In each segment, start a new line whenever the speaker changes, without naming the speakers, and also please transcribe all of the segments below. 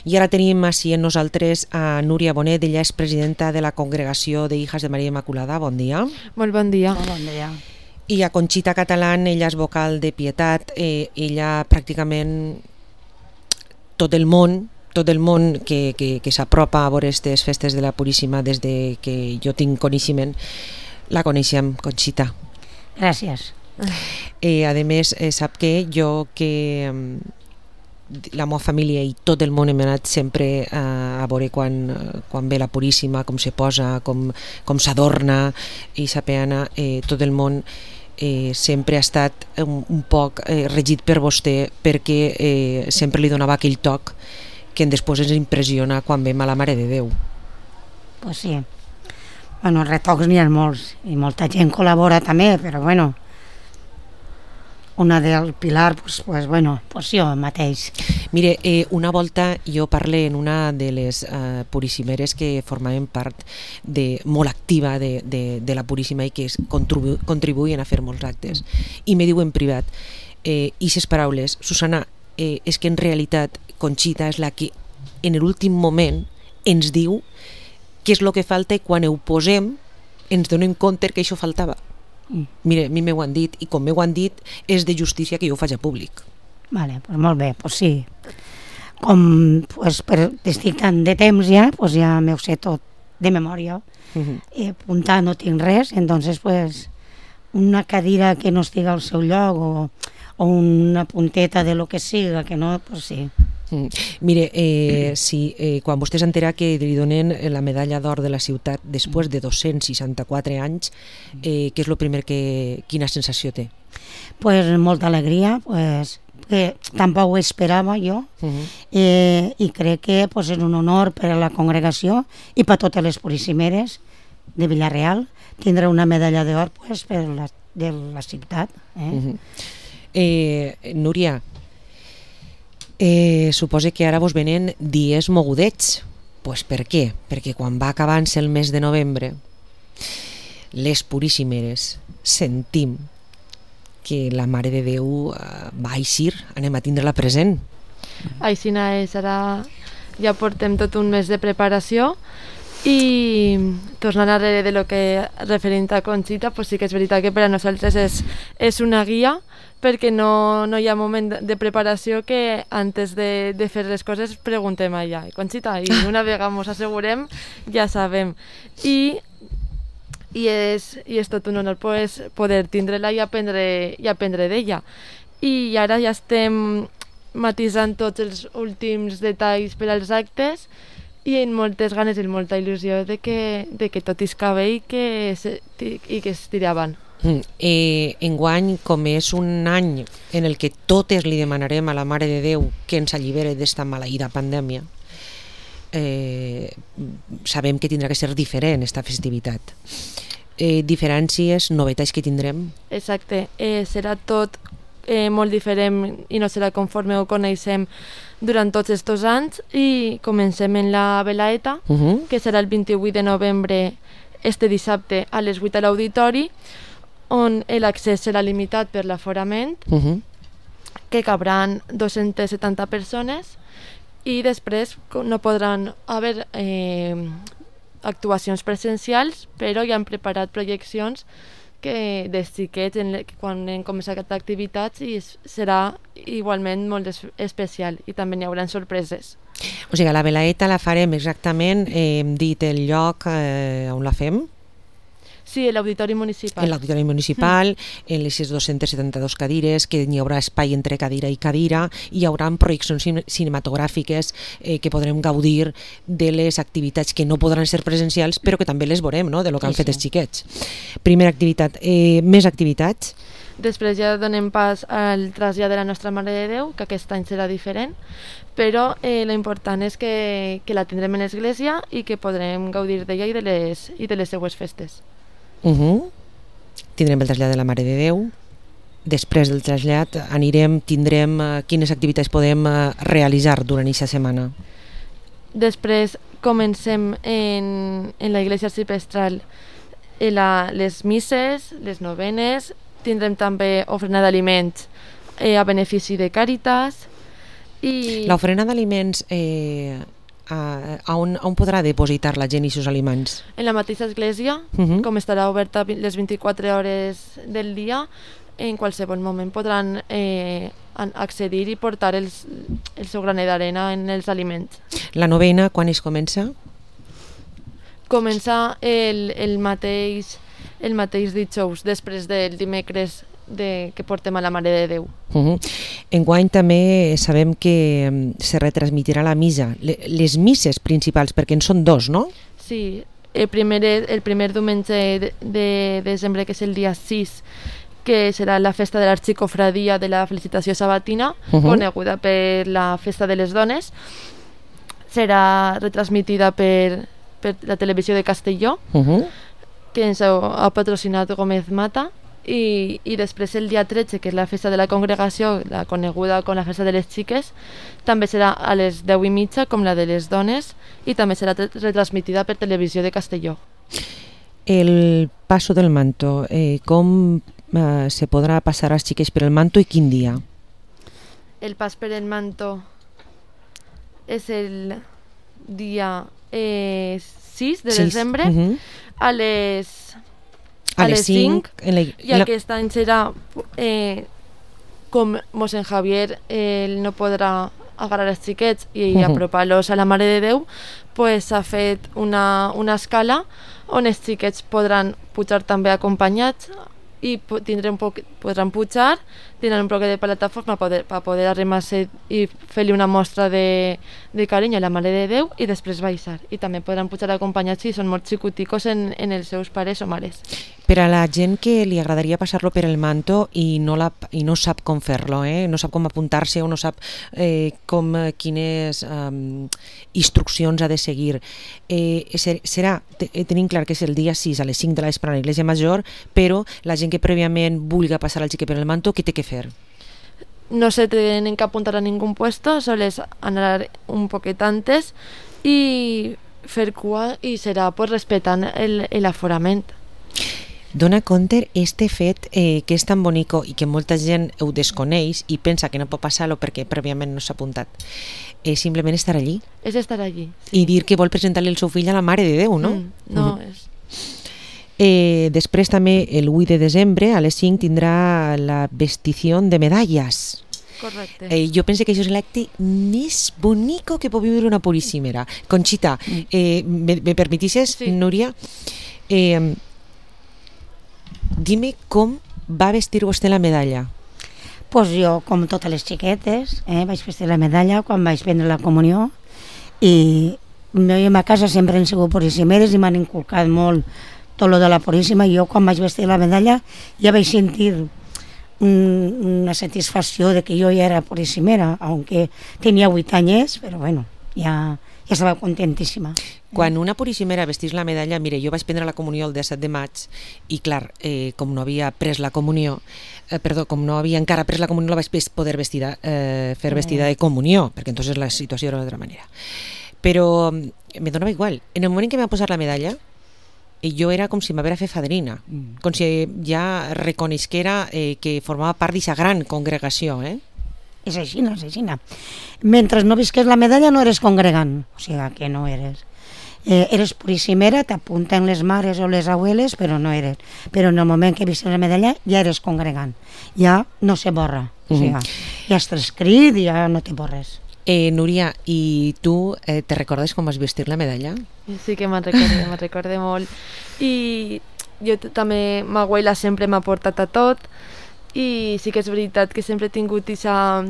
I ara tenim així amb nosaltres a Núria Bonet, ella és presidenta de la Congregació de Hijas de Maria Immaculada. Bon dia.
Molt bon dia.
Molt bon dia.
I a Conxita Catalán, ella és vocal de Pietat, ella pràcticament tot el món que s'apropa a veure aquestes festes de la Puríssima des de que jo tinc coneixement, la coneixem, Conxita.
Gràcies.
A més, sap que jo la meva família i tot el món hem anat sempre a veure quan ve la Puríssima, com se posa, com s'adorna, i sapeana, tot el món sempre ha estat un poc regit per vostè, perquè sempre li donava aquell toc que després ens impressiona quan vem a la Mare de Déu.
Pues sí. Bueno, retocs n'hi ha molts i molta gent col·labora també, però bueno, una del Pilar, pues jo mateix.
Mire, una volta jo parlé en una de les puríssimeres que formaven part molt activa de la Puríssima i que contribuïen a fer molts actes, i me diu en privat, i ses paraules, Susana, és que en realitat Conxita és la que en l'últim moment ens diu què és el que falta, i quan ho posem ens donem compte que això faltava. Mira, a mi m'ho han dit, i com m'ho han dit és de justícia que jo ho faig a públic.
Vale, pues molt bé, pues sí. Com estic tant de temps ja, pues ja m'ho sé tot de memòria. I apuntar no tinc res, entonces pues una cadira que no estigui al seu lloc o una punteta de lo que siga, que no, pues sí.
Mire, quan vostè s'entera que li donen la medalla d'or de la ciutat després de 264 anys, què és el primer quina sensació té?
Pues molta alegria, que tampoc ho esperava jo, i crec que és un honor per a la congregació i per totes les puríssimeres de Villarreal tindre una medalla d'or de la ciutat.
Núria, suposa que ara vos venen dies mogudets. Pues per què? Perquè quan va acabant-se el mes de novembre, les puríssimeres sentim que la Mare de Déu va eixir, anem a tindre-la present.
Aixina és, ara ja portem tot un mes de preparació, i tornant a de lo que referint a Conxita, pues sí que és veritat que per a nosaltres és una guia, perquè no hi ha moment de preparació que antes de fer les coses preguntem allà, Conxita, i una vegada ens assegurem ja sabem. I és tot un honor poder tindre-la i aprendre d'ella. I ara ja estem matisant tots els últims detalls per als actes, i amb moltes ganes i molta il·lusió de que tot isca bé i que es tiri avant.
Enguany, com és un any en el que totes li demanarem a la Mare de Déu que ens allibere d'esta maleïda pandèmia, sabem que tindrà que ser diferent esta festivitat. Diferències, novetats que tindrem?
Exacte, serà tot molt diferent i no serà conforme ho coneixem durant tots aquests anys, i comencem en la Velaeta, que serà el 28 de novembre, este dissabte a les 8 a l'auditori, on l'accés serà limitat per l'aforament, que cabran 270 persones, i després no podran haver actuacions presencials, però ja han preparat projeccions de xiquets quan hem començat activitats, i serà igualment molt especial, i també hi haurà sorpreses.
O sigui, la Velaeta la farem exactament, hem dit el lloc on la fem?
Sí, l'Auditori Municipal.
En l'Auditori Municipal, en les 272 cadires, que n'hi haurà espai entre cadira i cadira, i hi haurà projeccions cinematogràfiques que podrem gaudir de les activitats que no podran ser presencials, però que també les veurem, no?, de lo que han fet els xiquets. Primera activitat. Més activitats?
Després ja donem pas al trasllat de la nostra Mare de Déu, que aquest any serà diferent, però l'important és que la tindrem en l'església i que podrem gaudir d'ella i de les seues festes.
Tindrem el trasllat de la Mare de Déu. Després del trasllat tindrem quines activitats podem realitzar durant aquesta setmana?
Després comencem en la Iglesia Arcipestral les misses, les novenes, tindrem també ofrena d'aliments a benefici de Càritas, I
L'ofrena d'aliments, on podrà depositar la gent i seus aliments?
en la mateixa església, com estarà oberta les 24 hores del dia, en qualsevol moment podran accedir i portar el seu graner d'arena en els aliments.
La novena, quan es comença?
Comença el mateix dijous, després del dimecres que portem a la Mare de Déu.
Enguany també sabem que se retransmitirà la missa, les misses principals, perquè en són dos, no?
Sí, el primer diumenge de desembre, que és el dia 6, que serà la festa de l'Arxicofradia de la Felicitació Sabatina, coneguda per la Festa de les Dones. Serà retransmitida per la televisió de Castelló, que ens ha patrocinat Gómez Mata, i després el dia 13, que és la festa de la congregació, la coneguda com la festa de les xiques, també serà a les 10:30, com la de les dones, i també serà retransmitida per televisió de Castelló.
El paso del manto, com se podrà passar als xiques per el manto i quin dia?
El pas per el manto és el dia 6 de desembre a les 5, i aquest any serà com mossèn Javier no podrà agarrar els xiquets i apropar-los a la Mare de Déu, pues s'ha fet una escala on els xiquets podran pujar també acompanyats i podran pujar, tindran un poc de plataforma per poder arrimar-se i fer-li una mostra de carinyo a la Mare de Déu i després baixar. I també podran pujar acompanyats si són molt xicoticos en els seus pares o mares.
Per a la gent que li agradaria passar-lo per el manto i no sap com fer-lo, no sap com apuntar-se o no sap quines instruccions ha de seguir, tenim clar que és el dia 6 a les 5 de la vespre a l'Església Major, però la gent que prèviament vulgui passar el xiquet per el manto, què té que fer?
No se tienen que apuntar a ningún puesto, soles anar un poquet antes i fer cua, i serà pues respetant l'aforament.
Dona compte este fet que és tan bonico i que molta gent ho desconeix i pensa que no pot passar-lo perquè prèviament no s'ha apuntat. És simplement estar allí.
És estar allí, sí.
I dir que vol presentar-li el seu fill a la Mare de Déu, no?
No, és...
Després també el 8 de desembre a les 5 tindrà la vestició de medalles.
Correcte.
Jo penso que això és l'acte més bonico que pot viure una puríssima. Conxita, me permetisses, sí. Núria? Dime com va vestir vostè la medalla.
Pues jo, com totes les xiquetes, vaig vestir la medalla quan vaig prendre la comunió, i jo a ma casa sempre han sigut puríssimeres i m'han inculcat molt tot lo de la puríssima, i jo quan vaig vestir la medalla ja vaig sentir una satisfacció de que jo ja era puríssimera, aunque tenia 8 anys, però bueno, ja estava contentíssima.
Quan una puríssimera vestís la medalla, mire, jo vaig prendre la comunió el 17 de maig i clar, com no havia pres la comunió, com no havia encara pres la comunió, la vaig poder fer vestida de comunió, perquè entonces la situació era d'altra manera. Però me donava igual. En el moment en què m'ha posat la medalla, jo era com si m'haguera fet fadrina, com si ja reconeixera que formava part d'aquesta gran congregació,
És així, és així. Mentre no visques la medalla no eres congregant, o sigui que no eres. Eres puríssimera, t'apunten les mares o les abueles, però no eres. Però en el moment que visques la medalla ja eres congregant, ja no se borra, o sigui, ja estàs escrit i ja no te borres.
Núria, i tu te recordes com vas vestir la medalla?
Sí que me'n recorde molt. I jo també, ma abuela sempre m'ha portat a tot, i sí que és veritat que sempre he tingut aquesta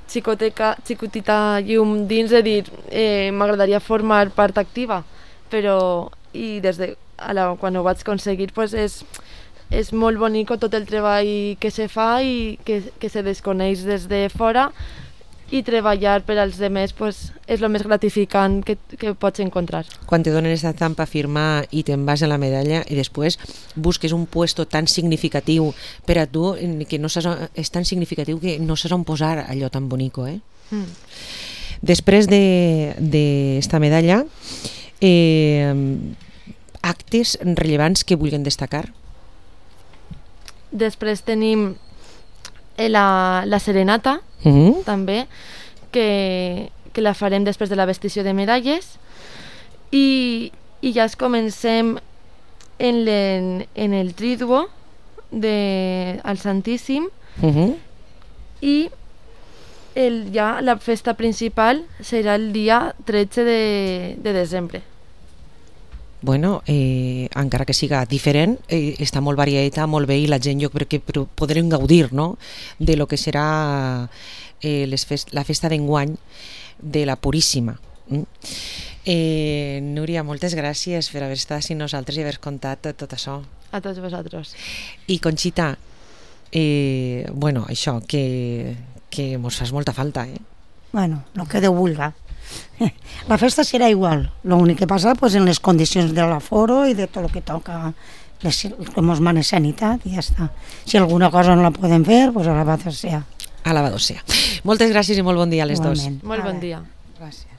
xicotita llum dins de dir m'agradaria formar part activa, però quan ho vaig aconseguir pues és molt bonic tot el treball que se fa i que se desconeix des de fora, i treballar per als demés pues, és el més gratificant que pots encontrar.
Quan te donen aquesta estampa a firmar i te'n vas a la medalla i després busques un puesto tan significatiu per a tu, que no saps, és tan significatiu que no saps on posar allò tan bonico. Després d'esta medalla, actes rellevants que vulguin destacar?
Després tenim la serenata, també, que la farem després de la vestició de medalles, i ja es comencem en el Triduo al Santíssim, i ja la festa principal serà el dia 13 de desembre.
Bueno, encara que siga diferent, està molt variada, molt bé, i la gent jo crec que podrem gaudir, no?, de lo que serà la festa d'enguany de la Puríssima. Núria, moltes gràcies per haver estat amb nosaltres i haver contat tot això.
A tots vosaltres.
I Conxita, bueno, això, que mos fas molta falta,
Bueno, el que Déu vulga. La festa serà igual, l'únic que passa pues, en les condicions de l'aforo i de tot el que toca, que mos mana sanitat, i ja està. Si alguna cosa no la podem fer, pues alabado sea.
Alabado sea. Moltes gràcies i molt bon dia a les dos.
Molt bon dia.
Gràcies.